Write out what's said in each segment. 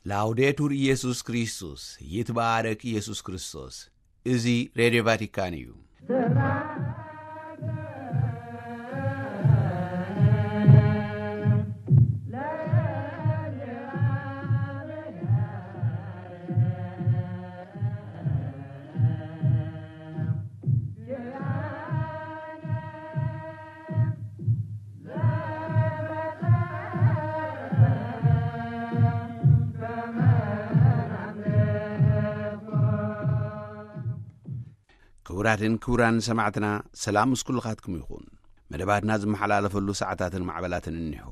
ላውዴቱር ኢየሱስ ክርስቶስ፣ ይትባረክ ኢየሱስ ክርስቶስ። እዚ ሬድዮ ቫቲካን እዩ። ክቡራትን ክቡራን ሰማዕትና፣ ሰላም ምስ ኩልኻትኩም ይኹን። መደባትና ዝመሓላለፈሉ ሰዓታትን ማዕበላትን እኒሆ።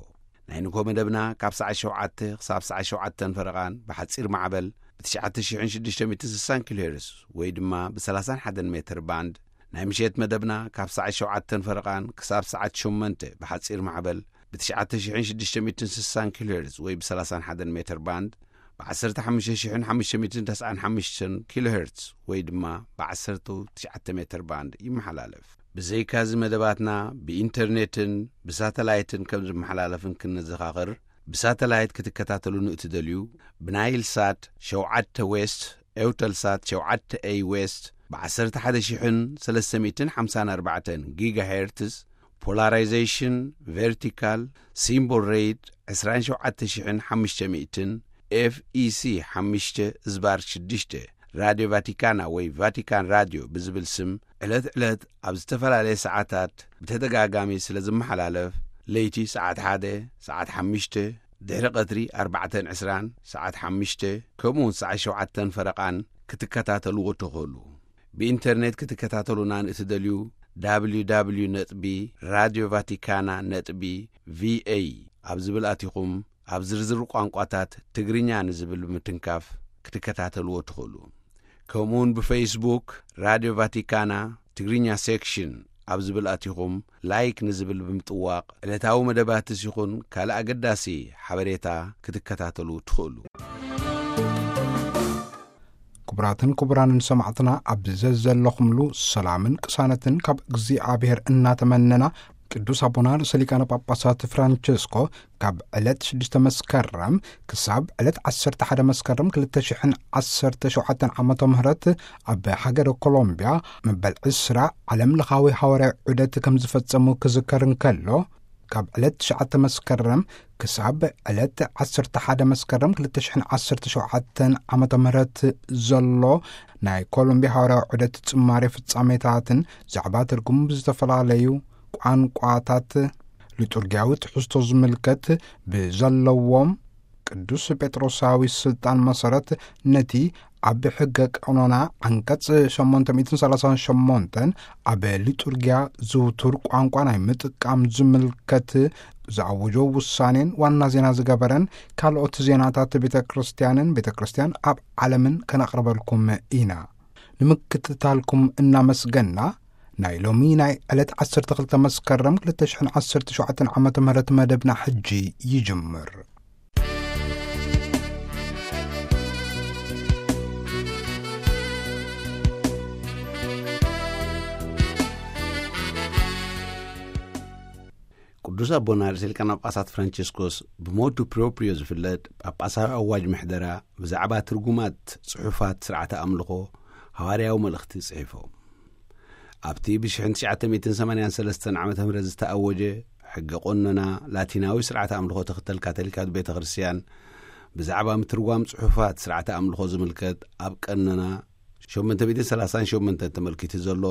ናይ ንግሆ መደብና ካብ ሰዓት ሸውዓተ ክሳብ ሰዓት ሸውዓተን ፈረቓን ብሓጺር ማዕበል ብ ትሽዓተ ሽሕን ሽዱሽተ ሚእትን ስሳን ኪሎ ሄርዝ ወይ ድማ ብ30 ሜትር ባንድ፣ ናይ ምሸት መደብና ካብ ሰዓት ሸውዓተን ፈረቓን ክሳብ ሰዓት ሸሞንተ ብሓጺር ማዕበል ብ ትሽዓተ ሽሕን ሽዱሽተ ሚእትን ስሳን ኪሎ ሄርዝ ወይ ብ30 ሜትር ባንድ፣ ብ ዓሰርተ ሓሙሽተ ሽሕን ሓሙሽተ ሚእትን ተስዓን ሓሙሽተን ኪሎ ሄርዝ ወይ ድማ ብ ዓሰርተ ትሽዓተ ሜትር ባንድ ይመሓላለፍ። ብዘይካዚ መደባትና ብኢንተርኔትን ብሳተላይትን ከም ዝመሓላለፍን ክንዘኻኽር፣ ብሳተላይት ክትከታተሉ ንእትደልዩ፣ ብናይል ሳት ሸውዓተ ዌስት፣ ኤውተል ሳት ሸውዓተ ኤይ ዌስት፣ ብ ዓሰርተ ሓደ ሽሕን ሰለስተ ሚእትን ሓምሳን ኣርባዕተን ጊጋ ሄርትዝ፣ ፖላራይዜሽን ቨርቲካል፣ ሲምቦል ሬት ዕስራን ሸውዓተ ሽሕን ሓሙሽተ ሚእትን፣ ኤፍ ኢ ሲ ሓሙሽተ ዝባር ሽዱሽተ፣ ራድዮ ቫቲካና ወይ ቫቲካን ራድዮ ብዝብል ስም ዕለት ዕለት ኣብ ዝተፈላለየ ሰዓታት ብተደጋጋሚ ስለ ዝመሓላለፍ፣ ለይቲ ሰዓት ሓደ፣ ሰዓት ሓሙሽተ፣ ድሕሪ ቀትሪ ኣርባዕተን ዕስራን፣ ሰዓት ሓሙሽተ፣ ከምኡ እውን ሰዓት ሸውዓተን ፈረቓን ክትከታተልዎ ትኽእሉ። ብኢንተርኔት ክትከታተሉና ንእትደልዩ፣ www ነጥቢ ራድዮ ቫቲካና ነጥቢ ቪኤ ኣብ ዝብል ኣቲኹም፣ ኣብ ዝርዝር ቋንቋታት ትግርኛ ንዝብል ብምትንካፍ ክትከታተልዎ ትኽእሉ። ከምኡውን ብፌስቡክ ራድዮ ቫቲካና ትግርኛ ሴክሽን ኣብ ዝብል ኣቲኹም፣ ላይክ ንዝብል ብምጥዋቕ፣ ዕለታዊ መደባትስ ይኹን ካልእ ኣገዳሲ ሓበሬታ ክትከታተሉ ትኽእሉ። ክቡራትን ክቡራንን ሰማዕትና፣ ኣብ ዘዘለኹምሉ ሰላምን ቅሳነትን ካብ እግዚኣብሔር እናተመነና፣ ቅዱስ ኣቦና ርእሰ ሊቃነ ጳጳሳት ፍራንቸስኮ ካብ ዕለት ሽዱሽተ መስከረም ክሳብ ዕለት ዓሰርተ ሓደ መስከረም ክልተ ሽሕን ዓሰርተ ሸውዓተን ዓመተ ምህረት ኣብ ሃገረ ኮሎምቢያ መበል ዕስራ ዓለም ለኻዊ ሃዋርያዊ ዑደት ከም ዝፈጸሙ ክዝከር እንከሎ፣ ካብ ዕለት ትሽዓተ መስከረም ክሳብ ዕለት ዓሰርተ ሓደ መስከረም ክልተ ሽሕን ዓሰርተ ሸውዓተን ዓመተ ምህረት ዘሎ ናይ ኮሎምቢያ ሃዋርያዊ ዑደት ጽማሬ ፍጻሜታትን ዛዕባ ትርጉም ብዝተፈላለዩ ቋንቋታት ሊጡርጊያዊ ትሕዝቶ ዝምልከት ብዘለዎም ቅዱስ ጴጥሮሳዊ ስልጣን መሰረት ነቲ ኣብ ሕገ ቀኖና ዓንቀጽ ሸሞንተ ሚእትን ሰላሳን ሸሞንተን ኣብ ሊጡርጊያ ዝውቱር ቋንቋ ናይ ምጥቃም ዝምልከት ዝኣወጆ ውሳኔን ዋና ዜና ዝገበረን ካልኦት ዜናታት ቤተ ክርስቲያንን ቤተ ክርስቲያን ኣብ ዓለምን ከነቕርበልኩም ኢና። ንምክትታልኩም እናመስገና፣ ናይ ሎሚ ናይ ዕለት ዓሰርተ ክልተ መስከረም ክልተ ሽሕን ዓሰርተ ሸውዓተን ዓመተ ምህረት መደብና ሕጂ ይጅምር። ቅዱስ ኣቦና ርእሰ ሊቃነ ጳጳሳት ፍራንቸስኮስ ብሞቱ ፕሮፕሪዮ ዝፍለጥ ጳጳሳዊ ኣዋጅ ምሕደራ ብዛዕባ ትርጉማት ጽሑፋት ስርዓተ ኣምልኾ ሃዋርያዊ መልእኽቲ ጽሒፎም። ኣብቲ ብ ትሽዓተ ሚእትን ሰማንያን ሰለስተን ዓመተ ምህረት ዝተኣወጀ ሕገ ቆኖና ላቲናዊ ስርዓተ ኣምልኾ ትኽተል ካቶሊካዊት ቤተ ክርስቲያን ብዛዕባ ምትርጓም ጽሑፋት ስርዓተ ኣምልኾ ዝምልከት ኣብ ቀኖና ሸሞንተ ሚእትን ሰላሳን ሸሞንተን ተመልኪቱ ዘሎ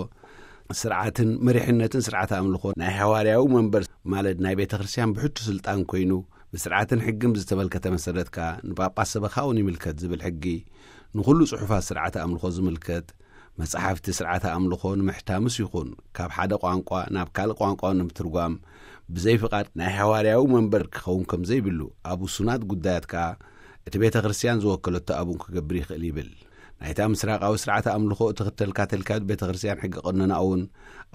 ስርዓትን መሪሕነትን ስርዓተ ኣምልኾ ናይ ሃዋርያዊ መንበር ማለት ናይ ቤተ ክርስቲያን ብሕቱ ስልጣን ኮይኑ ብስርዓትን ሕግን ብዝተመልከተ መሰረት ከኣ ንጳጳስ ሰበኻውን ይምልከት ዝብል ሕጊ ንኹሉ ጽሑፋት ስርዓተ ኣምልኾ ዝምልከት መጻሕፍቲ ስርዓተ ኣምልኾ ንምሕታምስ ይኹን ካብ ሓደ ቋንቋ ናብ ካልእ ቋንቋ ንምትርጓም ብዘይ ፍቓድ ናይ ሃዋርያዊ መንበር ክኸውን ከም ዘይብሉ ኣብ ውሱናት ጉዳያት ከኣ እቲ ቤተ ክርስቲያን ዝወከለቶ ኣቡን ክገብር ይኽእል ይብል። ናይታ ምስራቃዊ ስርዓተ ኣምልኾ እትኽተል ካቶሊካዊት ቤተ ክርስቲያን ሕጊ ቀኖና እውን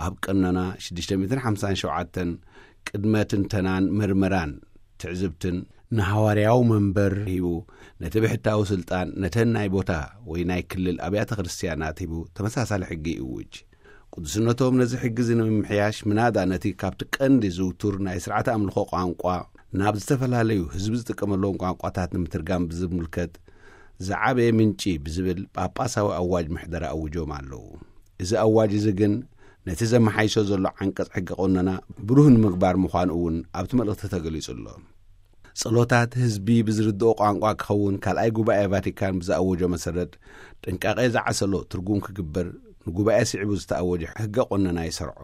ኣብ ቀኖና ሽዱሽተ ሚእትን ሓምሳን ሸውዓተን ቅድመ ትንተናን ምርመራን ትዕዝብትን ንሃዋርያዊ መንበር ሂቡ ነቲ ብሕታዊ ስልጣን ነተን ናይ ቦታ ወይ ናይ ክልል ኣብያተ ክርስቲያናት ሂቡ ተመሳሳሊ ሕጊ ይእውጅ። ቅዱስነቶም ነዚ ሕጊ እዚ ንምምሕያሽ ምናዳ ነቲ ካብቲ ቀንዲ ዝውቱር ናይ ስርዓተ ኣምልኾ ቋንቋ ናብ ዝተፈላለዩ ህዝቢ ዝጥቀመሎም ቋንቋታት ንምትርጋም ብዝምልከት ዝዓበየ ምንጪ ብዝብል ጳጳሳዊ ኣዋጅ ምሕደራ ኣውጆም ኣለዉ። እዚ ኣዋጅ እዚ ግን ነቲ ዘመሓይሾ ዘሎ ዓንቀጽ ሕገ ቆነና ብሩህ ንምግባር ምዃኑ እውን ኣብቲ መልእኽቲ ተገሊጹ ኣሎ። ጸሎታት ህዝቢ ብዝርድኦ ቋንቋ ክኸውን ካልኣይ ጉባኤ ቫቲካን ብዝኣወጆ መሰረት ጥንቃቄ ዝዓሰሎ ትርጉም ክግበር ንጉባኤ ስዒቡ ዝተኣወጀ ሕገ ቆነና ይሰርዖ።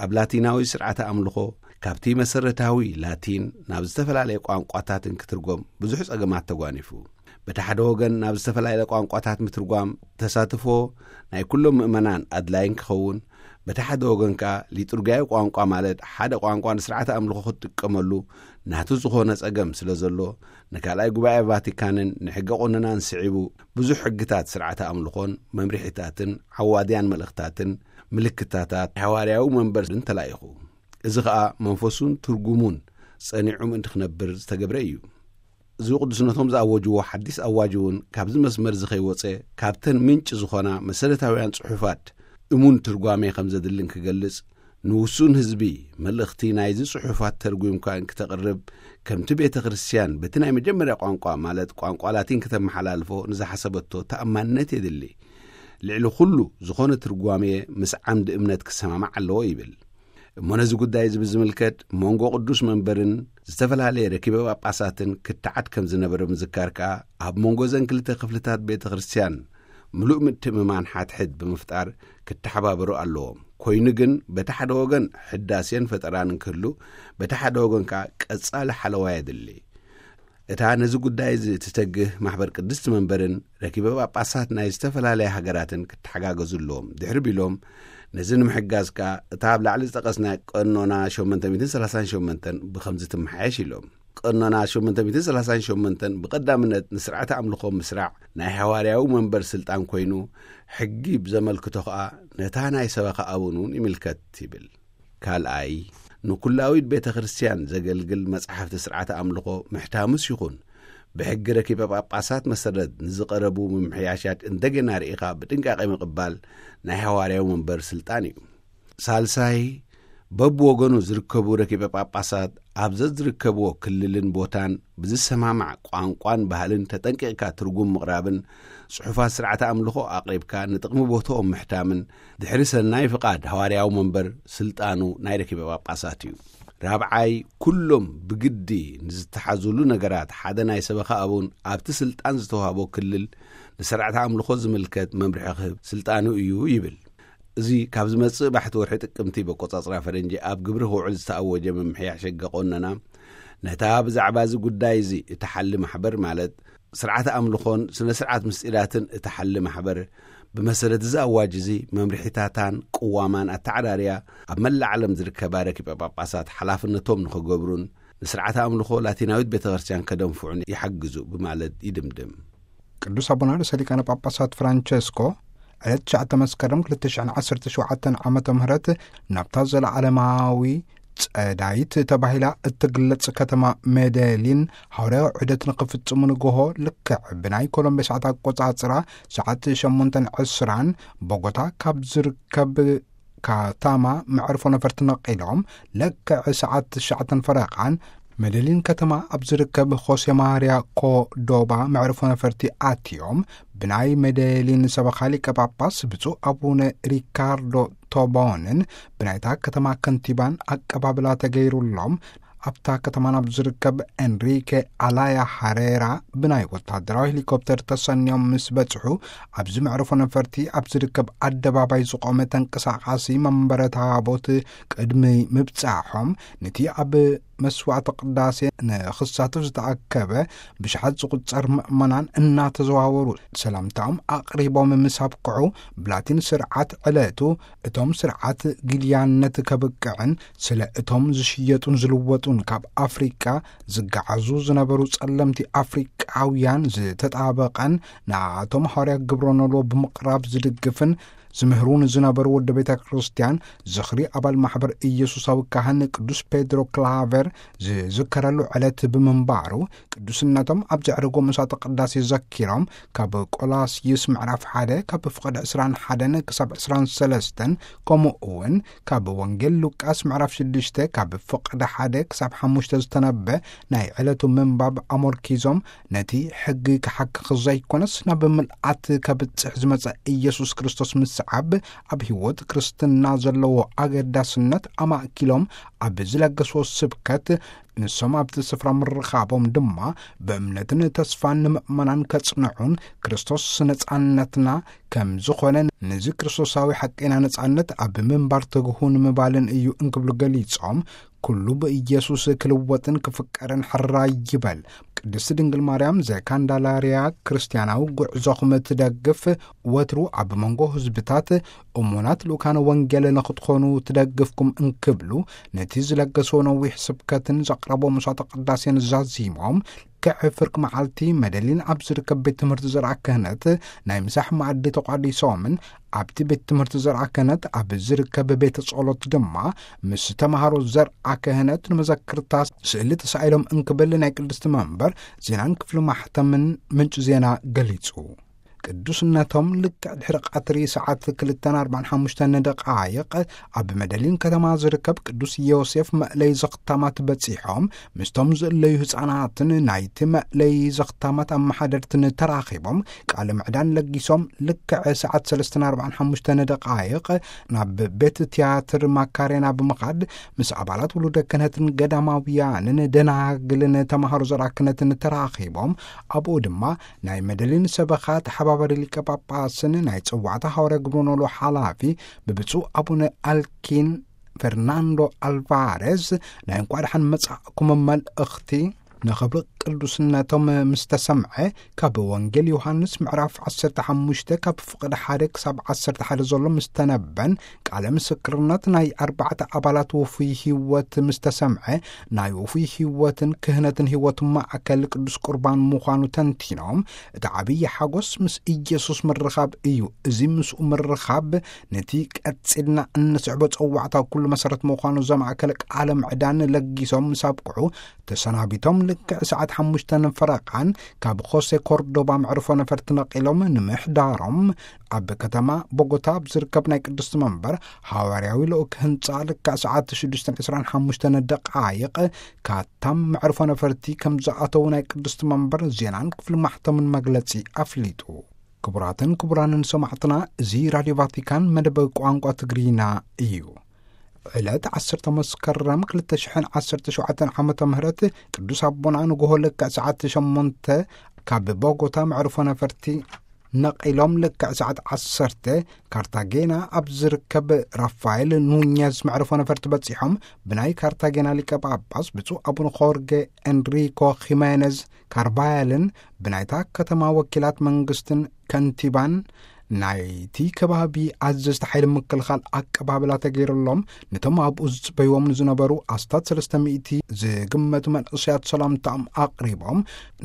ኣብ ላቲናዊ ስርዓተ ኣምልኾ ካብቲ መሰረታዊ ላቲን ናብ ዝተፈላለየ ቋንቋታትን ክትርጎም ብዙሕ ጸገማት ተጓኒፉ። በቲ ሓደ ወገን ናብ ዝተፈላለየ ቋንቋታት ምትርጓም ተሳትፎ ናይ ኩሎም ምእመናን ኣድላይን ክኸውን፣ በቲ ሓደ ወገን ከኣ ሊጡርጊያዊ ቋንቋ ማለት ሓደ ቋንቋ ንስርዓተ ኣምልኾ ክትጥቀመሉ ናቱ ዝኾነ ጸገም ስለ ዘሎ፣ ንካልኣይ ጉባኤ ቫቲካንን ንሕገ ቆነናን ስዒቡ ብዙሕ ሕግታት ስርዓተ ኣምልኾን መምርሒታትን ዓዋድያን መልእኽታትን ምልክታታት ሓዋርያዊ መንበርን ተላኢኹ። እዚ ኸኣ መንፈሱን ትርጉሙን ጸኒዑ ምእንቲ ክነብር ዝተገብረ እዩ። እዚ ቅዱስነቶም ዝኣወጅዎ ሓዲስ ኣዋጅ እውን ካብዚ መስመር እዚ ከይወጸ፣ ካብተን ምንጭ ዝኾና መሰረታውያን ጽሑፋት እሙን ትርጓሜ ከም ዘድልን ክገልጽ፣ ንውሱን ህዝቢ መልእኽቲ ናይዚ ጽሑፋት ተርጒምካ እንክተቕርብ፣ ከምቲ ቤተ ክርስቲያን በቲ ናይ መጀመርያ ቋንቋ ማለት ቋንቋ ላቲን ከተመሓላልፎ ንዝሓሰበቶ ተኣማንነት የድሊ። ልዕሊ ኩሉ ዝኾነ ትርጓሜ ምስ ዓምዲ እምነት ክሰማማዕ ኣለዎ ይብል። እሞ ነዚ ጉዳይ እዚ ብዝምልከት መንጎ ቅዱስ መንበርን ዝተፈላለየ ረኪበ ጳጳሳትን ክትዓት ከም ዝነበረ ምዝካር ከኣ፣ ኣብ መንጎ ዘን ክልተ ክፍልታት ቤተ ክርስቲያን ምሉእ ምትእምማን ሓድሕድ ብምፍጣር ክተሓባበሩ ኣለዎም። ኮይኑ ግን በቲ ሓደ ወገን ሕዳሴን ፈጠራን እንክህሉ፣ በቲ ሓደ ወገን ከኣ ቀጻሊ ሓለዋ የድሊ። እታ ነዚ ጉዳይ እዚ እትተግህ ማሕበር ቅድስቲ መንበርን ረኪበ ጳጳሳት ናይ ዝተፈላለያ ሃገራትን ክተሓጋገዙ ኣለዎም ድሕሪ ቢሎም፣ ነዚ ንምሕጋዝ ከኣ እታ ኣብ ላዕሊ ዝጠቐስና ቀኖና ሸሞንተ ሚእትን ሰላሳን ሸሞንተን ብኸምዚ ትመሓየሽ ኢሎም። ቀኖና ሸሞንተ ሚእትን ሰላሳን ሸሞንተን ብቐዳምነት ንስርዓተ ኣምልኾ ምስራዕ ናይ ሃዋርያዊ መንበር ስልጣን ኮይኑ፣ ሕጊ ብዘመልክቶ ኸኣ ነታ ናይ ሰበኻ ኣቡን እውን ይምልከት ይብል። ካልኣይ፣ ንኩላዊት ቤተ ክርስቲያን ዘገልግል መጻሕፍቲ ስርዓተ ኣምልኾ ምሕታምስ ይኹን፣ ብሕጊ ረኪበ ጳጳሳት መሰረት ንዝቐረቡ ምምሕያሻት እንደገና ርኢኻ ብጥንቃቄ ምቕባል ናይ ሃዋርያዊ መንበር ስልጣን እዩ። ሳልሳይ፣ በብወገኑ ዝርከቡ ረኪበ ጳጳሳት ኣብ ዘዝርከብዎ ክልልን ቦታን ብዝሰማማዕ ቋንቋን ባህልን ተጠንቂቕካ ትርጉም ምቕራብን ጽሑፋት ስርዓተ ኣምልኾ ኣቕሪብካ ንጥቕሚ ቦትኦም ምሕታምን ድሕሪ ሰናይ ፍቓድ ሃዋርያዊ መንበር ስልጣኑ ናይ ረኪበ ጳጳሳት እዩ። ራብዓይ፣ ኩሎም ብግዲ ንዝተሓዙሉ ነገራት ሓደ ናይ ሰበኻ ኣቡን ኣብቲ ስልጣን ዝተዋህቦ ክልል ንስርዓተ ኣምልኾ ዝምልከት መምርሒ ክህብ ስልጣኑ እዩ ይብል። እዚ ካብ ዝመጽእ ባሕቲ ወርሒ ጥቅምቲ በቆጻጽራ ፈረንጂ ኣብ ግብሪ ክውዕል ዝተኣወጀ ምምሕያሽ ሕገ ቆነና፣ ነታ ብዛዕባ እዚ ጉዳይ እዚ እትሓሊ ማሕበር ማለት ስርዓተ ኣምልኾን ስነ ስርዓት ምስጢራትን እትሓሊ ማሕበር፣ ብመሰረት እዚ ኣዋጅ እዚ መምርሒታታን ቅዋማን ኣተዓራርያ ኣብ መላእ ዓለም ዝርከባ ረኪበ ጳጳሳት ሓላፍነቶም ንኽገብሩን ንስርዓተ ኣምልኾ ላቲናዊት ቤተ ክርስቲያን ከደንፍዑን ይሓግዙ ብማለት ይድምድም። ቅዱስ ኣቦና ርእሰ ሊቃነ ጳጳሳት ፍራንቸስኮ ዕለት ትሽዓተ መስከረም ክልተ ሽሕን ዓሰርተ ሸውዓተን ዓመተ ምህረት ናብታ ዘለዓለማዊ ጸዳይት ተባሂላ እትግለጽ ከተማ ሜደሊን ሃዋርያዊ ዑደት ንኽፍጽሙ ንግሆ ልክዕ ብናይ ኮሎምቢያ ሰዓት ኣቆጻጽራ ሰዓት ሸሞንተን ዕስራን ቦጎታ ካብ ዝርከብ ካታማ መዕርፎ ነፈርቲ ነቒሎም ልክዕ ሰዓት ትሽዓተን ፈረቓን መደሊን ከተማ ኣብ ዝርከብ ሆሴ ማርያ ኮዶባ መዕርፎ ነፈርቲ ኣትዮም፣ ብናይ መደሊን ሰበኻ ሊቀ ጳጳስ ብፁዕ ኣቡነ ሪካርዶ ቶቦንን ብናይታ ከተማ ከንቲባን ኣቀባብላ ተገይሩሎም፣ ኣብታ ከተማ ናብ ዝርከብ ኤንሪኬ ኣላያ ሃሬራ ብናይ ወታደራዊ ሄሊኮፕተር ተሰንዮም ምስ በጽሑ፣ ኣብዚ መዕርፎ ነፈርቲ ኣብ ዝርከብ ኣደባባይ ዝቖመ ተንቀሳቓሲ መንበረ ታቦት ቅድሚ ምብጻሖም፣ ነቲ ኣብ መስዋዕተ ቅዳሴ ንኽሳተፍ ዝተኣከበ ብሽሓት ዝቑጸር ምእመናን እናተዘዋወሩ ሰላምታኦም ኣቕሪቦም ምስ ኣብቅዑ፣ ብላቲን ስርዓት ዕለቱ እቶም ስርዓት ግልያነት ከብቅዕን ስለ እቶም ዝሽየጡን ዝልወጡን ካብ ኣፍሪቃ ዝገዓዙ ዝነበሩ ጸለምቲ ኣፍሪቃውያን ዝተጣበቐን ንኣቶም ሃዋርያ ግብረ ኖልዎ ብምቕራብ ዝድግፍን ዝምህሩ ንዝነበሩ ወዲ ቤተ ክርስቲያን ዝኽሪ ኣባል ማሕበር ኢየሱሳዊ ካህን ቅዱስ ፔድሮ ክላቨር ዝዝከረሉ ዕለት ብምንባሩ፣ ቅዱስነቶም ኣብ ዘዕረጎ መስዋዕተ ቅዳሴ ዘኪሮም፣ ካብ ቆላስይስ ምዕራፍ ሓደ ካብ ፍቕዲ ዕስራን ሓደን ክሳብ ዕስራን ሰለስተን፣ ከምኡ እውን ካብ ወንጌል ሉቃስ ምዕራፍ ሽዱሽተ ካብ ፍቕዲ ሓደ ክሳብ ሓሙሽተ ዝተነበ ናይ ዕለቱ ምንባብ ኣመርኪዞም፣ ነቲ ሕጊ ክሓክኽ ዘይኮነስ ናብ ምልኣት ከብጽሕ ዝመጸ ኢየሱስ ክርስቶስ ምስዓብ ኣብ ህይወት ክርስትና ዘለዎ ኣገዳስነት ኣማእኪሎም ኣብ ዝለገስዎ ስብከት፣ ንሶም ኣብቲ ስፍራ ምርኻቦም ድማ ብእምነትን ተስፋን ንምእመናን ከጽንዑን፣ ክርስቶስ ነጻነትና ከም ዝኾነ፣ ነዚ ክርስቶሳዊ ሓቀና ነጻነት ኣብ ምንባር ትግሁ ንምባልን እዩ እንክብሉ ገሊጾም፣ ኩሉ ብኢየሱስ ክልወጥን ክፍቀርን ሕራይ ይበል። ቅድስቲ ድንግል ማርያም ዘካንዳላርያ ክርስትያናዊ ጉዕዞኹም ትደግፍ፣ ወትሩ ኣብ መንጎ ህዝብታት እሙናት ልኡካነ ወንጌል ንኽትኾኑ ትደግፍኩም እንክብሉ፣ ነቲ ዝለገሶ ነዊሕ ስብከትን ዘቕረቦ መስዋዕተ ቅዳሴን ዛዚሞም፣ ልክዕ ፍርቂ መዓልቲ መደሊን ኣብ ዝርከብ ቤት ትምህርቲ ዘርኣ ክህነት ናይ ምሳሕ መኣዲ ተቋዲሶምን፣ ኣብቲ ቤት ትምህርቲ ዘርኣ ክህነት ኣብ ዝርከብ ቤተ ጸሎት ድማ ምስ ተምሃሮ ዘርኣ ክህነት ንመዘክርታ ስእሊ ተሳኢሎም እንክብል ናይ ቅድስቲ መንበር ዜናን ክፍሊ ማሕተምን ምንጪ ዜና ገሊጹ። ቅዱስነቶም ልክዕ ድሕሪ ቀትሪ ሰዓት ክልተን ኣርባዓን ሓሙሽተን ደቃይቕ ኣብ መደሊን ከተማ ዝርከብ ቅዱስ ዮሴፍ መእለይ ዘኽታማት በጺሖም፣ ምስቶም ዝእለዩ ህጻናትን ናይቲ መእለይ ዘኽታማት ኣመሓደርትን ተራኺቦም ቃለ ምዕዳን ለጊሶም፣ ልክዕ ሰዓት ሰለስተን ኣርባዓን ሓሙሽተን ደቃይቕ ናብ ቤት ትያትር ማካሬና ብምኻድ ምስ ኣባላት ውሉደ ክህነትን ገዳማውያንን ደናግልን ተምሃሮ ዘርኣ ክህነትን ተራኺቦም፣ ኣብኡ ድማ ናይ መደሊን ሰበኻ ተሓባባሪ ሊቀ ጳጳስን ናይ ጽዋዕታ ሃዋርያ ግብረ ኖሎ ሓላፊ ብብፁዕ ኣቡነ ኣልኪን ፈርናንዶ ኣልቫሬዝ ናይ እንቋዕ ደሓን መጻእኩም መልእኽቲ ንኽብሪ ቅዱስነቶም ምስ ተሰምዐ፣ ካብ ወንጌል ዮሃንስ ምዕራፍ ዓሰርተ ሓሙሽተ ካብ ፍቕዲ ሓደ ክሳብ ዓሰርተ ሓደ ዘሎ ምስ ተነበን፣ ቃለ ምስክርነት ናይ ኣርባዕተ ኣባላት ውፉይ ህይወት ምስ ተሰምዐ፣ ናይ ውፉይ ህይወትን ክህነትን ህይወት ማእከል ቅዱስ ቁርባን ምዃኑ ተንቲኖም፣ እቲ ዓብዪ ሓጎስ ምስ ኢየሱስ ምርኻብ እዩ። እዚ ምስኡ ምርኻብ ነቲ ቀጺልና እንስዕቦ ጸዋዕታ ኩሉ መሰረት ምዃኑ ዘማእከለ ቃለ ምዕዳን ለጊሶም ምስ ኣብቅዑ፣ ተሰናቢቶም ልክዕ ሰዓት ሓሙሽተ ፈረቓን ካብ ኾሴ ኮርዶባ መዕርፎ ነፈርቲ ነቒሎም ንምሕዳሮም፣ ኣብ ከተማ ቦጎታ ኣብ ዝርከብ ናይ ቅድስቲ መንበር ሃዋርያዊ ልኡክ ህንጻ ልክዕ ሰዓት ሽዱሽተን ዕስራን ሓሙሽተን ደቃይቕ ካታም መዕርፎ ነፈርቲ ከም ዝኣተዉ ናይ ቅድስቲ መንበር ዜናን ክፍሊ ማሕተምን መግለጺ ኣፍሊጡ። ክቡራትን ክቡራንን ሰማዕትና፣ እዚ ራድዮ ቫቲካን መደብ ቋንቋ ትግርኛ እዩ። ዕለት ዓሰርተ መስከረም ክልተ ሽሕን ዓሰርተ ሸውዓተን ዓመተ ምህረት ቅዱስ ኣቦና ንግሆ ልክዕ ሰዓት ሸሞንተ ካብ ቦጎታ መዕርፎ ነፈርቲ ነቒሎም ልክዕ ሰዓት ዓሰርተ ካርታጌና ኣብ ዝርከብ ራፋኤል ኑኛዝ መዕርፎ ነፈርቲ በጺሖም፣ ብናይ ካርታጌና ሊቀ ጳጳስ ብፁዕ ኣቡነ ኾርጌ ኤንሪኮ ኺሜነዝ ካርቫያልን ብናይታ ከተማ ወኪላት መንግስትን ከንቲባን ናይቲ ከባቢ ኣዘዝቲ ሓይሊ ምክልኻል ኣቀባብላ ተገይሩሎም፣ ነቶም ኣብኡ ዝጽበይዎም ንዝነበሩ ኣስታት ሰለስተ ሚእቲ ዝግመቱ መንእሰያት ሰላምታኦም ኣቕሪቦም፣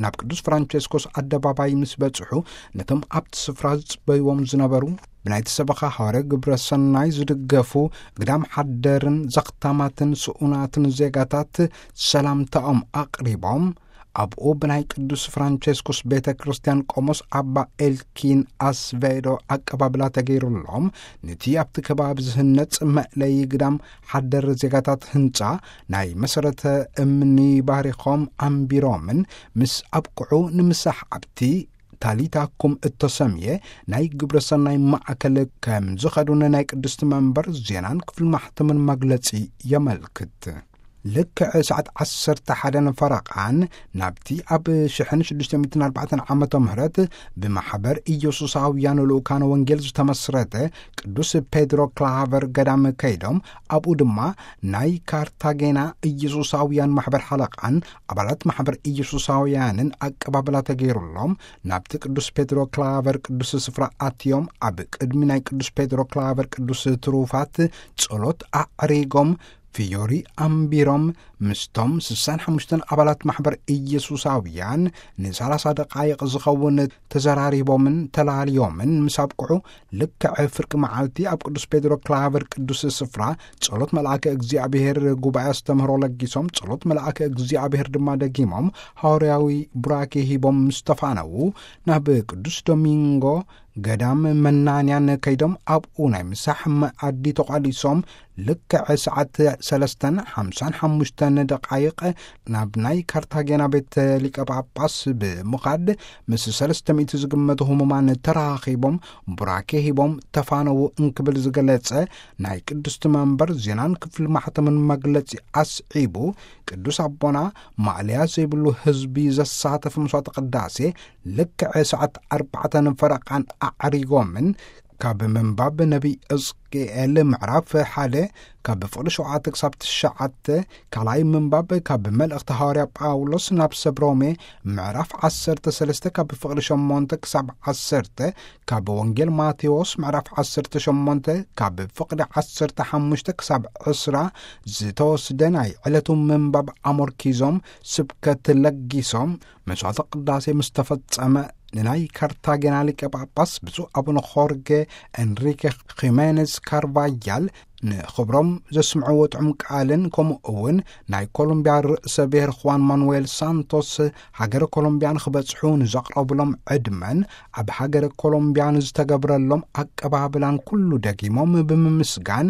ናብ ቅዱስ ፍራንቸስኮስ ኣደባባይ ምስ በጽሑ፣ ነቶም ኣብቲ ስፍራ ዝጽበይዎም ዝነበሩ ብናይቲ ሰበኻ ሃዋርያ ግብረ ሰናይ ዝድገፉ ግዳም ሓደርን ዘኽታማትን ስኡናትን ዜጋታት ሰላምታኦም ኣቕሪቦም፣ ኣብኡ ብናይ ቅዱስ ፍራንቸስኮስ ቤተ ክርስቲያን ቆሞስ ኣባ ኤልኪን ኣስቬዶ ኣቀባብላ ተገይሩሎም፣ ነቲ ኣብቲ ከባቢ ዝህነጽ መእለዪ ግዳም ሓደር ዜጋታት ህንጻ ናይ መሰረተ እምኒ ባሪኾም ኣንቢሮምን ምስ ኣብቅዑ ንምሳሕ ኣብቲ ታሊታኩም እተሰምየ ናይ ግብረ ሰናይ ማእከል ከም ዝኸዱን ናይ ቅድስቲ መንበር ዜናን ክፍሊ ማሕተምን መግለጺ የመልክት። ልክዕ ሰዓት ዓሰርተ ሓደን ፈረቓን ናብቲ ኣብ ሽሕን ሽዱሽተ ሚእትን ኣርባዕተን ዓመተ ምህረት ብማሕበር ኢየሱሳውያን ልኡካነ ወንጌል ዝተመስረተ ቅዱስ ፔድሮ ክላቨር ገዳም ከይዶም፣ ኣብኡ ድማ ናይ ካርታጌና ኢየሱሳውያን ማሕበር ሓለቓን ኣባላት ማሕበር ኢየሱሳውያንን ኣቀባብላ ተገይሩሎም፣ ናብቲ ቅዱስ ፔድሮ ክላቨር ቅዱስ ስፍራ ኣትዮም፣ ኣብ ቅድሚ ናይ ቅዱስ ፔድሮ ክላቨር ቅዱስ ትሩፋት ጸሎት ኣዕሪጎም፣ ፍዮሪ ኣንቢሮም፣ ምስቶም ስሳን ሓሙሽተን ኣባላት ማሕበር ኢየሱሳውያን ንሰላሳ ደቃይቕ ዝኸውን ተዘራሪቦምን ተላልዮምን ምስ ኣብቅዑ፣ ልክዕ ፍርቂ መዓልቲ ኣብ ቅዱስ ፔድሮ ክላቨር ቅዱስ ስፍራ ጸሎት መልኣከ እግዚኣብሔር ጉባኤ ኣስተምህሮ ለጊሶም፣ ጸሎት መልኣከ እግዚኣብሔር ድማ ደጊሞም ሃዋርያዊ ቡራኬ ሂቦም ምስ ተፋነዉ፣ ናብ ቅዱስ ዶሚንጎ ገዳም መናንያን ከይዶም ኣብኡ ናይ ምሳሕ መኣዲ ተቋዲሶም፣ ልክዕ ሰዓት ሰለስተን ሓምሳን ሓሙሽተን ደቃይቕ ናብ ናይ ካርታጌና ቤት ሊቀ ጳጳስ ብምኻድ ምስ ሰለስተ ሚእቲ ዝግመቱ ህሙማን ተራኺቦም ቡራኬ ሂቦም ተፋነዉ እንክብል ዝገለጸ ናይ ቅድስቲ መንበር ዜናን ክፍሊ ማሕተምን መግለጺ ኣስዒቡ፣ ቅዱስ ኣቦና ማእለያ ዘይብሉ ህዝቢ ዘሳተፈ መስዋዕተ ቅዳሴ ልክዕ ሰዓት ኣርባዕተን ፈረቓን ኣዕሪጎምን ካብ ምንባብ ነቢይ ሕዝቅኤል ምዕራፍ ሓደ ካብ ፍቕዲ ሸውዓተ ክሳብ ትሽዓተ፣ ካልኣይ ምንባብ ካብ መልእኽቲ ሃዋርያ ጳውሎስ ናብ ሰብ ሮሜ ምዕራፍ ዓሰርተ ሰለስተ ካብ ፍቕዲ ሸሞንተ ክሳብ ዓሰርተ፣ ካብ ወንጌል ማቴዎስ ምዕራፍ ዓሰርተ ሸሞንተ ካብ ፍቕዲ ዓሰርተ ሓሙሽተ ክሳብ ዕስራ ዝተወስደ ናይ ዕለቱ ምንባብ ኣሞርኪዞም ስብከት ለጊሶም፣ መስዋዕተ ቅዳሴ ምስ ተፈጸመ፣ ንናይ ካርታጌና ሊቀ ጳጳስ ብፁዕ ኣቡነ ኾርጌ ኤንሪኬ ኺሜኔዝ ካርቫያል ንኽብሮም ዘስምዕዎ ጥዑም ቃልን፣ ከምኡ እውን ናይ ኮሎምብያ ርእሰ ብሔር ኹዋን ማኑዌል ሳንቶስ ሃገረ ኮሎምብያ ንኽበጽሑ ንዘቕረቡሎም ዕድመን ኣብ ሃገረ ኮሎምብያ ንዝተገብረሎም ኣቀባብላን ኩሉ ደጊሞም ብምምስጋን፣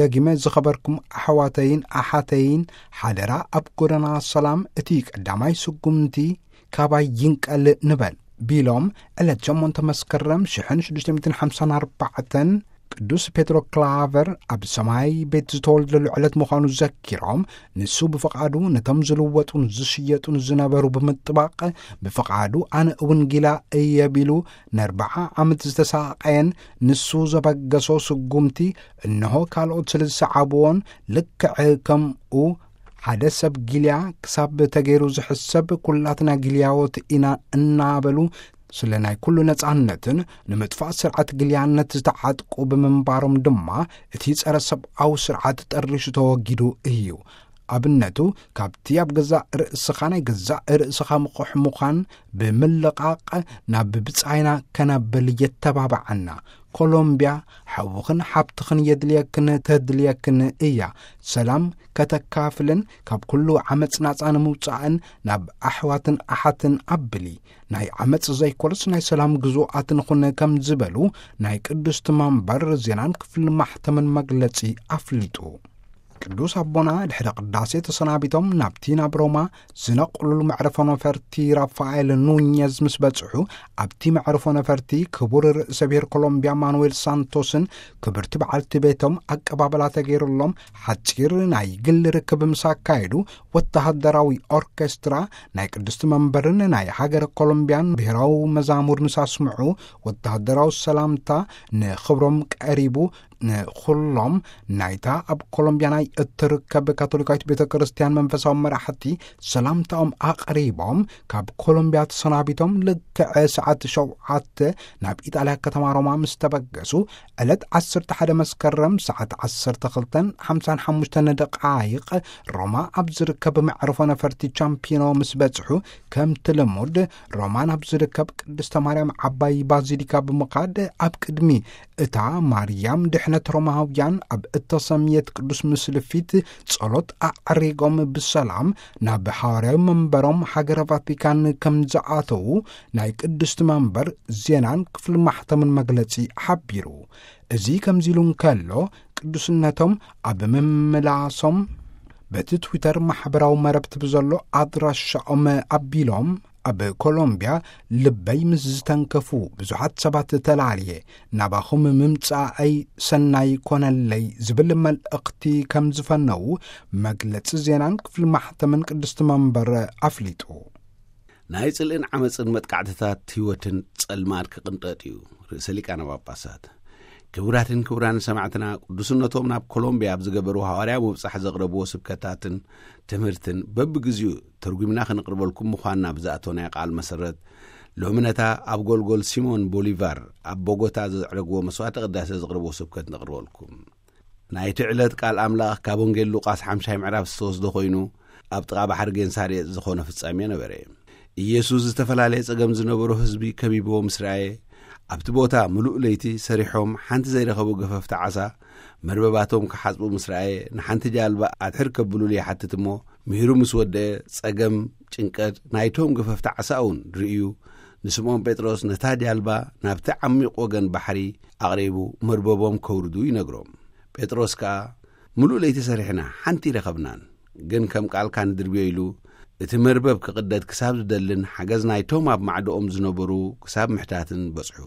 ደጊመ ዝኸበርኩም ኣሕዋተይን ኣሓተይን፣ ሓደራ ኣብ ጎደና ሰላም እቲ ቀዳማይ ስጉምቲ ካባይ ይንቀል ንበል ቢሎም፣ ዕለት ሸሞንተ መስከረም ሽሕን ሽዱሽተ ሚእትን ሓምሳን ኣርባዕተን ቅዱስ ፔትሮ ክላቨር ኣብ ሰማይ ቤት ዝተወልደሉ ዕለት ምዃኑ ዘኪሮም፣ ንሱ ብፍቓዱ ነቶም ዝልወጡን ዝሽየጡን ዝነበሩ ብምጥባቕ፣ ብፍቓዱ ኣነ እውን ጊላ እየ ቢሉ፣ ነርብዓ ዓመት ዝተሳቐየን ንሱ ዘበገሶ ስጉምቲ፣ እንሆ ካልኦት ስለ ዝሰዓብዎን፣ ልክዕ ከምኡ ሓደ ሰብ ጊልያ ክሳብ ተገይሩ ዝሕሰብ፣ ኩላትና ጊልያዎት ኢና እናበሉ፣ ስለ ናይ ኩሉ ነጻነትን ንምጥፋእ ስርዓት ጊልያነት ዝተዓጥቁ ብምንባሮም ድማ፣ እቲ ጸረ ሰብኣዊ ስርዓት ጠሪሹ ተወጊዱ እዩ። ኣብነቱ፣ ካብቲ ኣብ ገዛእ ርእስኻ ናይ ገዛእ ርእስኻ ምቑሕ ምዃን ብምልቓቕ፣ ናብ ብጻይና ከነብል የተባብዓና። ኮሎምብያ ሓውኽን ሓብትኽን የድልየክን ተድልየክን እያ። ሰላም ከተካፍልን ካብ ኩሉ ዓመጽ ናጻ ንምውጻእን ናብ ኣሕዋትን ኣሓትን ኣብሊ። ናይ ዓመጽ ዘይኮነስ ናይ ሰላም ግዙኣት ንኹን ከም ዝበሉ ናይ ቅድስቲ መንበር ዜናን ክፍሊ ማሕተምን መግለጺ ኣፍሊጡ። ቅዱስ ኣቦና ድሕሪ ቅዳሴ ተሰናቢቶም ናብቲ ናብ ሮማ ዝነቕሉሉ መዕረፎ ነፈርቲ ራፋኤል ኑኘዝ ምስ በጽሑ፣ ኣብቲ መዕረፎ ነፈርቲ ክቡር ርእሰ ብሔር ኮሎምብያ ማኑዌል ሳንቶስን ክብርቲ በዓልቲ ቤቶም ኣቀባበላ ተገይሩሎም፣ ሓጺር ናይ ግል ርክብ ምስ ኣካየዱ፣ ወተሃደራዊ ኦርኬስትራ ናይ ቅድስቲ መንበርን ናይ ሃገረ ኮሎምብያን ብሔራዊ መዛሙር ምስ ኣስምዑ፣ ወተሃደራዊ ሰላምታ ንኽብሮም ቀሪቡ፣ ንኹሎም ናይታ ኣብ ኮሎምብያ ናይ እትርከብ ካቶሊካዊት ቤተ ክርስቲያን መንፈሳዊ መራሕቲ ሰላምታኦም ኣቕሪቦም፣ ካብ ኮሎምብያ ተሰናቢቶም ልክዕ ሰዓት ሸውዓተ ናብ ኢጣልያ ከተማ ሮማ ምስ ተበገሱ፣ ዕለት ዓሰርተ ሓደ መስከረም ሰዓት ዓሰርተ ክልተን ሓምሳን ሓሙሽተን ደቃይቕ ሮማ ኣብ ዝርከብ መዕርፎ ነፈርቲ ቻምፒኖ ምስ በጽሑ፣ ከምቲ ልሙድ ሮማ ናብ ዝርከብ ቅድስተ ማርያም ዓባይ ባዚሊካ ብምኻድ፣ ኣብ ቅድሚ እታ ማርያም ድሕነት ሮማውያን ኣብ እተሰምየት ቅዱስ ምስሊ ፊት ጸሎት ኣዕሪጎም ብሰላም ናብ ሃዋርያዊ መንበሮም ሃገረ ቫቲካን ከም ዝኣተዉ ናይ ቅድስቲ መንበር ዜናን ክፍሊ ማሕተምን መግለጺ ሓቢሩ። እዚ ከምዚ ኢሉ እንከሎ፣ ቅዱስነቶም ኣብ ምምላሶም በቲ ትዊተር ማሕበራዊ መረብቲ ብዘሎ ኣድራሻኦም ኣቢሎም፣ ኣብ ኮሎምብያ ልበይ ምስ ዝተንከፉ ብዙሓት ሰባት ተላልየ፣ ናባኹም ምምጻኣይ ሰናይ ኮነለይ ዝብል መልእኽቲ ከም ዝፈነዉ መግለጺ ዜናን ክፍሊ ማሕተምን ቅድስቲ መንበር ኣፍሊጡ። ናይ ጽልእን ዓመጽን መጥቃዕትታት ህይወትን ጸልማት ክቕንጠጥ እዩ። ርእሰ ሊቃነ ጳጳሳት። ክቡራትን ክቡራን ሰማዕትና፣ ቅዱስነቶም ናብ ኮሎምብያ ኣብ ዝገበርዎ ሃዋርያዊ ምብጻሕ ዘቕረብዎ ስብከታትን ትምህርትን በብግዜኡ ተርጒምና ክንቕርበልኩም ምዃንና ብዝኣተወናዮ ቃል መሰረት፣ ሎሚ ነታ ኣብ ጎልጎል ሲሞን ቦሊቫር ኣብ ቦጎታ ዘዕረግዎ መስዋዕተ ቅዳሴ ዘቕረብዎ ስብከት ነቕርበልኩም። ናይቲ ዕለት ቃል ኣምላኽ ካብ ወንጌል ሉቃስ ሓምሻይ ምዕራፍ ዝተወስደ ኮይኑ፣ ኣብ ጥቓ ባሕሪ ጌንሳሬጥ ዝኾነ ፍጻሜ ነበረ። ኢየሱስ ዝተፈላለየ ጸገም ዝነበሮ ህዝቢ ከቢብዎ ምስ ረኣየ፣ ኣብቲ ቦታ ምሉእ ለይቲ ሰሪሖም ሓንቲ ዘይረኸቡ ገፈፍቲ ዓሳ መርበባቶም ክሓጽቡ ምስ ረኣየ፣ ንሓንቲ ጃልባ ኣድሕር ከብሉሉ ይሓትት እሞ፣ ምሂሩ ምስ ወደአ፣ ጸገም፣ ጭንቀት ናይቶም ገፈፍቲ ዓሳ እውን ርእዩ፣ ንስምዖን ጴጥሮስ ነታ ጃልባ ናብቲ ዓሚቕ ወገን ባሕሪ ኣቕሪቡ መርበቦም ከውርዱ ይነግሮም። ጴጥሮስ ከኣ፣ "ምሉእ ለይቲ ሰሪሕና፣ ሓንቲ ይረኸብናን፣ ግን ከም ቃልካ ንድርብዮ" ኢሉ፣ እቲ መርበብ ክቕደድ ክሳብ ዝደልን ሓገዝ ናይቶም ኣብ ማዕዶኦም ዝነበሩ ክሳብ ምሕታትን በጽሑ።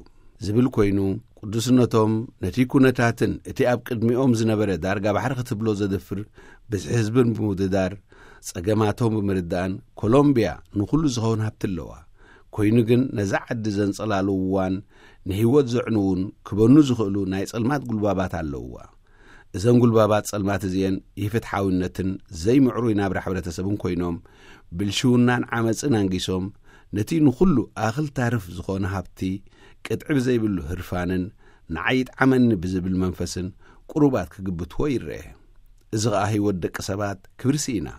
ዝብል ኮይኑ፣ ቅዱስነቶም ነቲ ኩነታትን እቲ ኣብ ቅድሚኦም ዝነበረ ዳርጋ ባሕሪ ክትብሎ ዘደፍር ብዝሒ ህዝብን ብምውድዳር፣ ጸገማቶም ብምርዳእን፣ ኮሎምብያ ንኹሉ ዝኸውን ሃብቲ ኣለዋ። ኮይኑ ግን፣ ነዛ ዓዲ ዘንጸላልውዋን ንህይወት ዘዕንዉን ክበኑ ዝኽእሉ ናይ ጸልማት ጉልባባት ኣለውዋ። እዘን ጉልባባት ጸልማት እዚኤን ኢፍትሓዊነትን ዘይምዕሩይ ናብራ ሕብረተሰብን ኮይኖም፣ ብልሽውናን ዓመጽን ኣንጊሶም፣ ነቲ ንኹሉ ኣኽል ታርፍ ዝኾነ ሃብቲ ቅጥዒ ብዘይብሉ ህርፋንን ንዓይ ይጥዓመኒ ብዝብል መንፈስን ቁሩባት ክግብትዎ ይረአ። እዚ ኸኣ ህይወት ደቂ ሰባት ክብሪ ስኢና።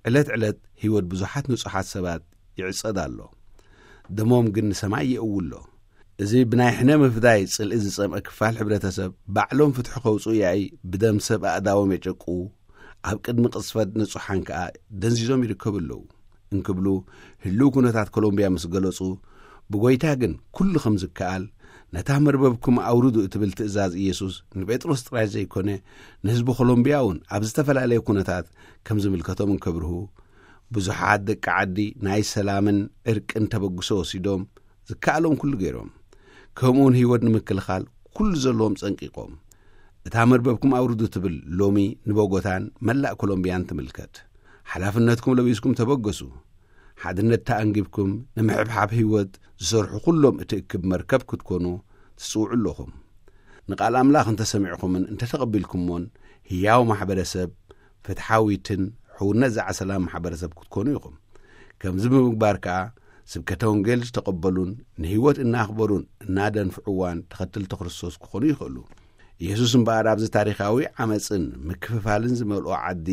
ዕለት ዕለት ህይወት ብዙሓት ንጹሓት ሰባት ይዕጸድ ኣሎ። ደሞም ግን ንሰማይ ይእውሎ። እዚ ብናይ ሕነ ምፍዳይ ጽልኢ ዝጸምአ ክፋል ሕብረተሰብ፣ ባዕሎም ፍትሒ ከውጽኡ ያኢ ብደም ሰብ ኣእዳዎም የጨቅኡ፣ ኣብ ቅድሚ ቅጽፈት ንጹሓን ከኣ ደንዚዞም ይርከቡ ኣለዉ እንክብሉ ህልው ኩነታት ኮሎምብያ ምስ ገለጹ፣ ብጎይታ ግን ኩሉ ከም ዝከኣል፣ ነታ መርበብኩም ኣውርዱ እትብል ትእዛዝ ኢየሱስ ንጴጥሮስ ጥራይ ዘይኮነ፣ ንህዝቢ ኮሎምብያ እውን ኣብ ዝተፈላለየ ኩነታት ከም ዝምልከቶም እንከብርሁ፣ ብዙሓት ደቂ ዓዲ ናይ ሰላምን ዕርቅን ተበግሶ ወሲዶም ዝከኣሎም ኩሉ ገይሮም። ከምኡውን ህይወት ንምክልኻል ኩሉ ዘለዎም ጸንቂቖም። እታ መርበብኩም ኣውርዱ ትብል ሎሚ ንቦጎታን መላእ ኮሎምብያን ትምልከት። ሓላፍነትኩም ለቢስኩም ተበገሱ። ሓድነት ተኣንጊብኩም ንምሕብሓብ ህይወት ዝሰርሑ ኩሎም እትእክብ መርከብ ክትኮኑ ትጽውዑ ኣለኹም። ንቃል ኣምላኽ እንተሰሚዕኩምን እንተተቐቢልኩሞን ህያው ማሕበረሰብ፣ ፍትሓዊትን ሕውነት ዝዓሰላ ማሕበረሰብ ክትኮኑ ኢኹም። ከምዚ ብምግባር ከኣ ስብከተ ወንጌል ዝተቐበሉን ንህይወት እናኽበሩን እናደንፍዕዋን ተኸተልቲ ክርስቶስ ክኾኑ ይኽእሉ። ኢየሱስ እምበኣር ኣብዚ ታሪኻዊ ዓመጽን ምክፍፋልን ዝመልኦ ዓዲ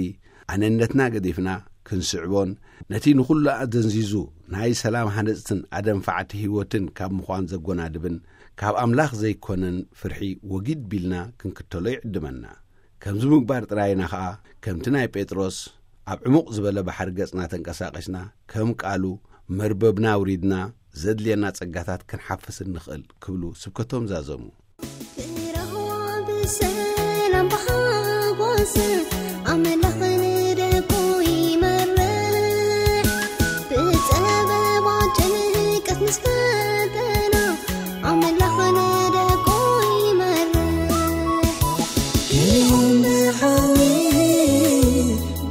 ኣነነትና ገዲፍና ክንስዕቦን ነቲ ንኹሉ ኣደንዚዙ ናይ ሰላም ሃነጽትን ኣደንፋዕቲ ህይወትን ካብ ምዃን ዘጎናድብን ካብ ኣምላኽ ዘይኮነን ፍርሒ ወጊድ ቢልና ክንክተሎ ይዕድመና። ከምዚ ምግባር ጥራይና ኸኣ ከምቲ ናይ ጴጥሮስ ኣብ ዕሙቕ ዝበለ ባሕሪ ገጽና ተንቀሳቒስና ከም ቃሉ መርበብና ኣውሪድና ዘድልየና ጸጋታት ክንሓፍስ እንኽእል ክብሉ ስብከቶም ዛዘሙ። ብራህዋ ብሰላም ብሓጎስ ኣምላኽ ንደቁ ይመርሕ። ብጸበባ ጭንቀት ምስ ፈተና ኣምላኽ ንደቁ ይመርሕ። ገሊኦም ብሓዊ፣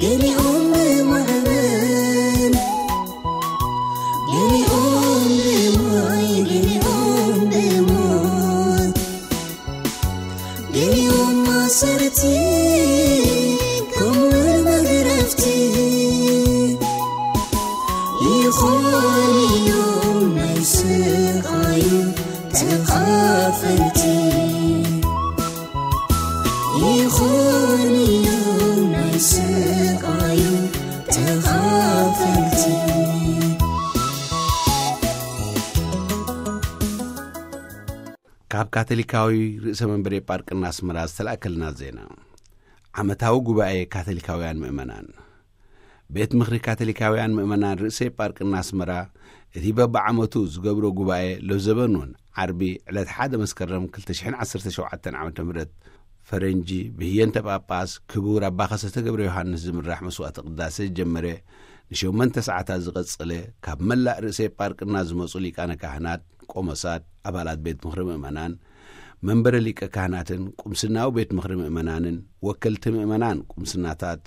ገሊኦም ብማዕበል፣ ገሊኦም ብማይ፣ ገሊኦም ብሞት፣ ገሊኦም ማሰርቲ፣ ከምኡውን መግረፍቲ። ይኾኑ እዮም ናይ ስቓዩ ተኻፈልቲ። ይኾኑ እዮም ናይ ስቓዩ ተኻፈልቲ። ካብ ካቶሊካዊ ርእሰ መንበር ኤጳርቅና ኣስመራ ዝተላእከልና ዜና። ዓመታዊ ጉባኤ ካቶሊካውያን ምእመናን። ቤት ምኽሪ ካቶሊካውያን ምእመናን ርእሰ ኤጳርቅና ኣስመራ፣ እቲ በብዓመቱ ዝገብሮ ጉባኤ ለዘበኑን ዓርቢ ዕለት ሓደ መስከረም ክልተ ሽሕን ዓሰርተ ሸውዓተን ዓመተ ምህረት ፈረንጂ ብህየንተ ጳጳስ ክቡር ኣባ ከሰተ ገብረ ዮሃንስ ዝምራሕ መስዋዕተ ቅዳሴ ዝጀመረ ንሸሞንተ ሰዓታት ዝቐጸለ፣ ካብ መላእ ርእሰ ኤጳርቅና ዝመጹ ሊቃነ ካህናት፣ ቆሞሳት፣ ኣባላት ቤት ምኽሪ ምእመናን፣ መንበረ ሊቀ ካህናትን ቁምስናዊ ቤት ምኽሪ ምእመናንን፣ ወከልቲ ምእመናን ቁምስናታት፣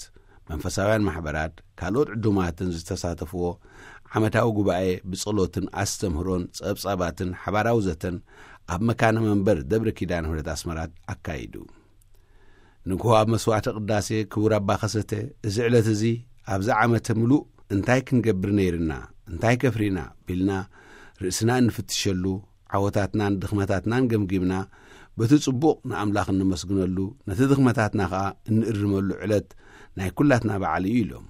መንፈሳውያን ማሕበራት፣ ካልኦት ዕዱማትን ዝተሳተፍዎ ዓመታዊ ጉባኤ ብጸሎትን ኣስተምህሮን ጸብጻባትን ሓባራዊ ዘተን ኣብ መካነ መንበር ደብረ ኪዳነ ምሕረት ኣስመራ ኣካይዱ። ንግሆ ኣብ መስዋዕተ ቅዳሴ ክቡር ኣባ ከሰተ፣ እዚ ዕለት እዚ ኣብዚ ዓመተ ምሉእ እንታይ ክንገብር ነይርና፣ እንታይ ከፍሪና ቢልና ርእስና እንፍትሸሉ፣ ዓወታትናን ድኽመታትናን ገምጊምና፣ በቲ ጽቡቕ ንኣምላኽ እንመስግነሉ፣ ነቲ ድኽመታትና ኸኣ እንእርመሉ ዕለት ናይ ኩላትና በዓል እዩ ኢሎም።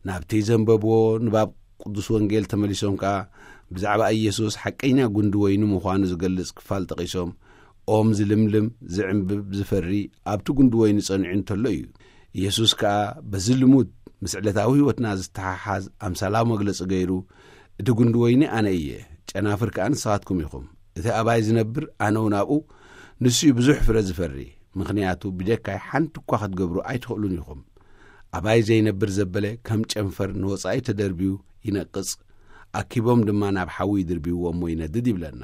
ናብቲ ዘንበብዎ ንባብ ቅዱስ ወንጌል ተመሊሶም ከኣ ብዛዕባ ኢየሱስ ሓቀኛ ጉንዲ ወይኒ ምዃኑ ዝገልጽ ክፋል ጠቒሶም፣ ኦም ዝልምልም፣ ዝዕንብብ፣ ዝፈሪ ኣብቲ ጉንዲ ወይኒ ጸኒዑ እንተሎ እዩ። ኢየሱስ ከኣ በዚ ልሙድ ምስ ዕለታዊ ህይወትና ዝተሓሓዝ ኣምሳላዊ መግለጺ ገይሩ፣ "እቲ ጉንዲ ወይኒ ኣነ እየ፣ ጨናፍር ከኣ ንስኻትኩም ኢኹም። እቲ ኣባይ ዝነብር ኣነ እውን ኣብኡ፣ ንሱ እዩ ብዙሕ ፍረ ዝፈሪ። ምኽንያቱ ብጀካይ ሓንቲ እኳ ክትገብሩ ኣይትኽእሉን ኢኹም። ኣባይ ዘይነብር ዘበለ ከም ጨንፈር ንወጻኢ ተደርብዩ ይነቅጽ፣ ኣኪቦም ድማ ናብ ሓዊ ይድርብይዎ እሞ ይነድድ" ይብለና።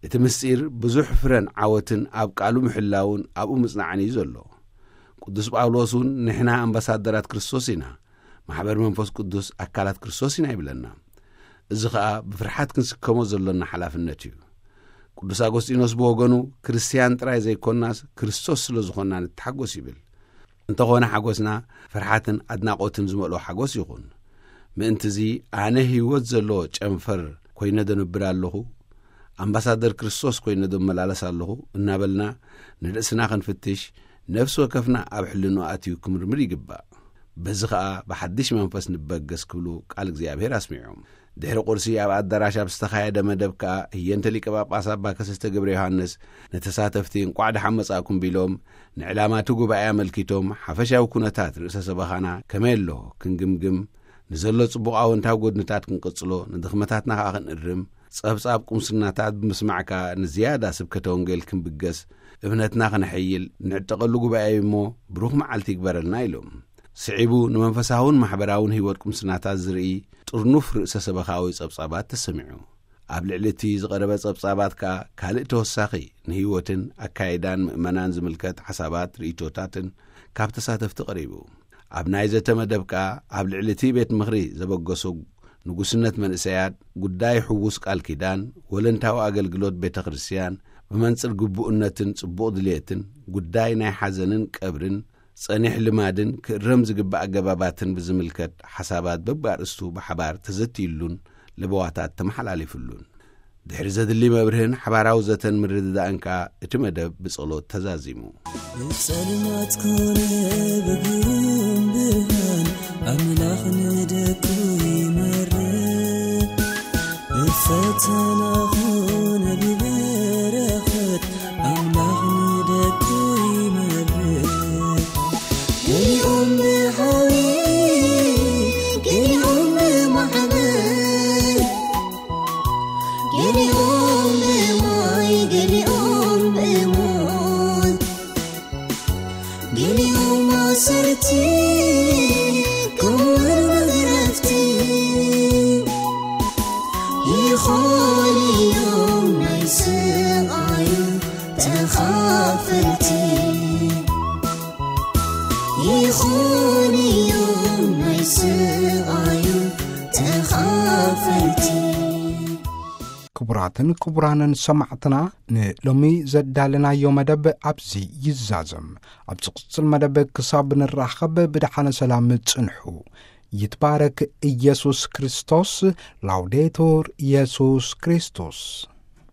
እቲ ምስጢር ብዙሕ ፍረን ዓወትን ኣብ ቃሉ ምሕላውን ኣብኡ ምጽናዕን እዩ ዘሎ። ቅዱስ ጳውሎስ እውን ንሕና ኣምባሳደራት ክርስቶስ ኢና፣ ማሕበር መንፈስ ቅዱስ ኣካላት ክርስቶስ ኢና ይብለና። እዚ ኸኣ ብፍርሓት ክንስከሞ ዘሎና ሓላፍነት እዩ። ቅዱስ ኣጎስጢኖስ ብወገኑ፣ ክርስትያን ጥራይ ዘይኮናስ ክርስቶስ ስለ ዝኾንና ንተሓጎስ ይብል። እንተኾነ ሓጎስና ፍርሓትን ኣድናቖትን ዝመልኦ ሓጎስ ይኹን። ምእንትዚ ኣነ ህይወት ዘለዎ ጨንፈር ኮይነ ዶ ነብር ኣለኹ? ኣምባሳደር ክርስቶስ ኮይነ ዶ እመላለስ ኣለኹ? እናበልና ንርእስና ክንፍትሽ፣ ነፍሲ ወከፍና ኣብ ሕልንኡ ኣትዩ ክምርምር ይግባእ። በዚ ኸኣ ብሓድሽ መንፈስ ንበገስ ክብሉ ቃል እግዚኣብሔር ኣስሚዖም። ድሕሪ ቁርሲ ኣብ ኣዳራሽ ኣብ ዝተኻየደ መደብ ከኣ ህየንተ ሊቀ ጳጳስ ኣባ ከሰስተ ገብረ ዮሃንስ ንተሳተፍቲ እንቋዕ ደሓን መጻእኩም ቢሎም፣ ንዕላማ እቲ ጉባኤ ኣመልኪቶም ሓፈሻዊ ኩነታት ርእሰ ሰበኻና ከመይ ኣሎ ክንግምግም፣ ንዘሎ ጽቡቕ ኣወንታዊ ጎድንታት ክንቅጽሎ፣ ንድኽመታትና ከኣ ክንእርም፣ ጸብጻብ ቁምስናታት ብምስማዕ ከኣ ንዝያዳ ስብከተ ወንጌል ክንብገስ፣ እምነትና ከነሐይል ንዕጠቐሉ ጉባኤ እዩ እሞ ብሩኽ መዓልቲ ይግበረልና ኢሎም። ስዒቡ ንመንፈሳውን ማሕበራውን ህይወት ቁምስናታት ዝርኢ ጥርኑፍ ርእሰ ሰበኻዊ ጸብጻባት ተሰሚዑ። ኣብ ልዕሊ እቲ ዝቐረበ ጸብጻባት ከኣ ካልእ ተወሳኺ ንህይወትን ኣካይዳን ምእመናን ዝምልከት ሓሳባት ርእይቶታትን ካብ ተሳተፍቲ ቀሪቡ። ኣብ ናይ ዘተ መደብ ከኣ ኣብ ልዕሊ እቲ ቤት ምኽሪ ዘበገሶ ንጉስነት መንእሰያት፣ ጉዳይ ሕዉስ ቃል ኪዳን፣ ወለንታዊ ኣገልግሎት ቤተ ክርስቲያን፣ ብመንጽር ግቡእነትን ጽቡቕ ድልየትን፣ ጉዳይ ናይ ሓዘንን ቀብርን፣ ጸኒሕ ልማድን ክእረም ዝግባእ ኣገባባትን ብዝምልከት ሓሳባት በብኣርእስቱ ብሓባር ተዘትዩሉን ለበዋታት ተመሓላሊፉሉን። ድሕሪ ዘድሊ መብርህን ሓባራዊ ዘተን ምርድዳእን ከኣ እቲ መደብ ብጸሎት ተዛዚሙ። ብጸልማት ኮነ ብግሩም ብርሃን ኣምላኽ ንደቁ ይመርሕ። ብፈተና ኾነ ብበረኸት ኣምላኽ ንደቁ ይመርሕ። ገሊኦም ብሓዊ፣ ገሊኦም ብማዕበል፣ ገሊኦም ብማይ፣ ገሊኦም ብሞት፣ ገሊኦም ማሰርቲ፣ ከምኡውን መግረፍቲ። ይኾኑ እዮም ናይ ስቓዩ ተኻፈልቲ። ይኾኑ እዮም ናይ ስቓዩ ተኻፈልቲ። ክቡራትን ክቡራንን ሰማዕትና፣ ንሎሚ ዘዳለናዮ መደብ ኣብዚ ይዛዘም። ኣብ ዝቕጽል መደብ ክሳብ ንራኸብ ብደሓነ ሰላም ጽንሑ። ይትባረክ ኢየሱስ ክርስቶስ። ላውዴቱር ኢየሱስ ክርስቶስ።